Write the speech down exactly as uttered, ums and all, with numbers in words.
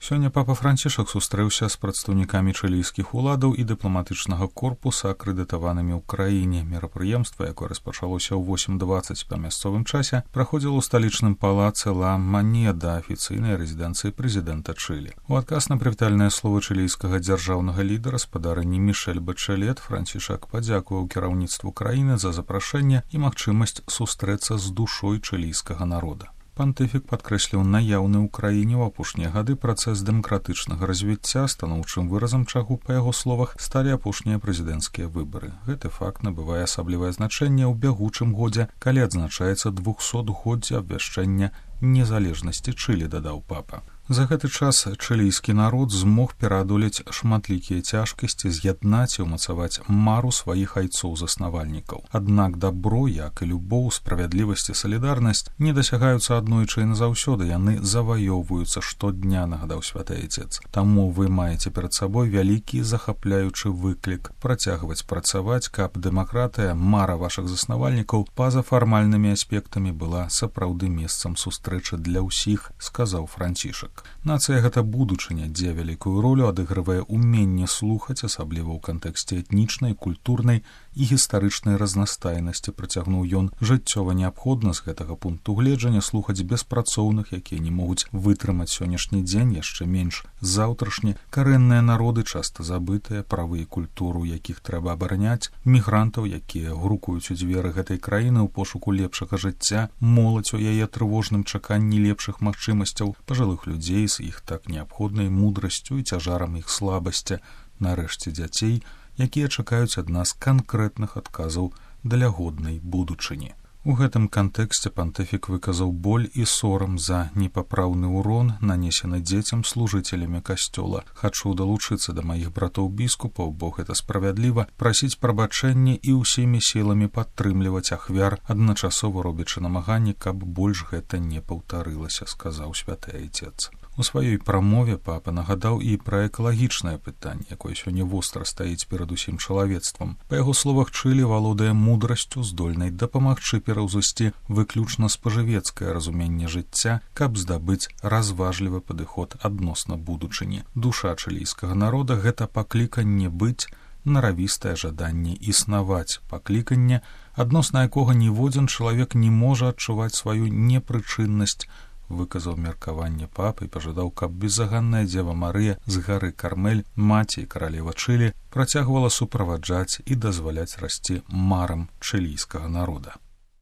Сёння папа Францішак сустрэўся з прадстаўнікамі чылійскіх уладаў і дыпламатычнага корпуса, акрэдытаванымі ў краіне. Мерапрыемства, якое распачалося ў восем дваццаць па мясцовым часе, праходзіла ў сталічным палацы Ла Манеда, афіцыйнай рэзідэнцыі прэзідэнта Чылі. У адказ на прывітальнае слово чылійскага дзяржаўнага лідара спадарыні Мішэль Бачэлет Францішак падзякаваў кіраўніцтву краіны за запрашэнне і магчымасць сустрэцца з душой чылійскага народа. Пантыфік падкрэсліў наяўны ў краіне ў апошнія гады працэс дэмакратычнага развіцця, станоўчым выразам чаго, па яго словах, сталі апошнія прэзідэнцкія выбары. Гэты факт набывае асаблівае значэнне ў бягучым годзе, калі адзначаецца двухсотгоддзе абвяшчэння незалежнасці Чылі, дадаў папа. За гэты час чылійскі народ змог пераадолець шматлікія цяжкасці, з'яднаць і ўмацаваць мару сваіх айцоў-заснавальнікаў. Аднак дабро, як і любоў, справядлівасць і салідарнасць не дасягаюцца аднойчы і назаўсёды, яны заваёўваюцца штодня, нагадаў святы айцец. Таму вы маеце перад сабой вялікі захапляючы выклік працягваць працаваць, каб дэмакратыя, мара вашых заснавальнікаў па-за фармальнымі аспектамі была сапраўды месцам сустрэчы для ўсіх, сказаў Францішак. Нацыя гэта будучыня, дзе вялікую ролю адыгрывае уменне слухаць, асабліва ў кантэксце этнічнай, культурнай і гістарычнай разнастайнасці, працягнуў ён. Жыццёва неабходна з гэтага пункту гледжання слухаць беспрацоўных, якія не могуць вытрымаць сённяшні дзень, яшчэ менш заўтрашні, карэнныя народы, часта забытыя, правы і культуру, якіх трэба абараняць, мігрантаў, якія грукуюць у дзверы гэтай краіны ў пошуку лепшага жыцця, моладзь у яе трывожным чаканні лепшых магчымасцяў, пажылых людзей з іх так неабходнай мудрасцю і цяжарам іх слабасці, нарэшце дзяцей, якія чакаюць ад нас канкрэтных адказаў для годнай будучыні. У гэтым кантэксце пантыфік выказаў боль і сорам за непапраўны ўрон, нанесены дзецям служыцелямі касцёла. Хачу далучыцца да маіх братоў-біскупаў, бо гэта справядліва, прасіць прабачэння і ўсімі сіламі падтрымліваць ахвяр, адначасова робячы намаганні, каб больш гэта не паўтарылася, сказаў святы айцец. У сваёй прамове папа нагадаў і пра экалагічнае пытанне, якое сёння востра стаіць перад усім чалавецтвам. Па яго словах, Чылі валодае мудрасцю, здольнай дапамагчы пераўзысці выключна спажывецкае разуменне жыцця, каб здабыць разважлівы падыход адносна будучыні. Душа чылійскага народа — гэта пакліканне быць, наравістае жаданне існаваць, пакліканне, адносна якога ніводзін чалавек не можа адчуваць сваю непрычыннасць, выказаў меркаванне папы і пажадаў, каб безаганная дзева Марыя з гары Кармель, маці і каралева Чылі, працягвала суправаджаць і дазваляць расці марам чылійскага народа.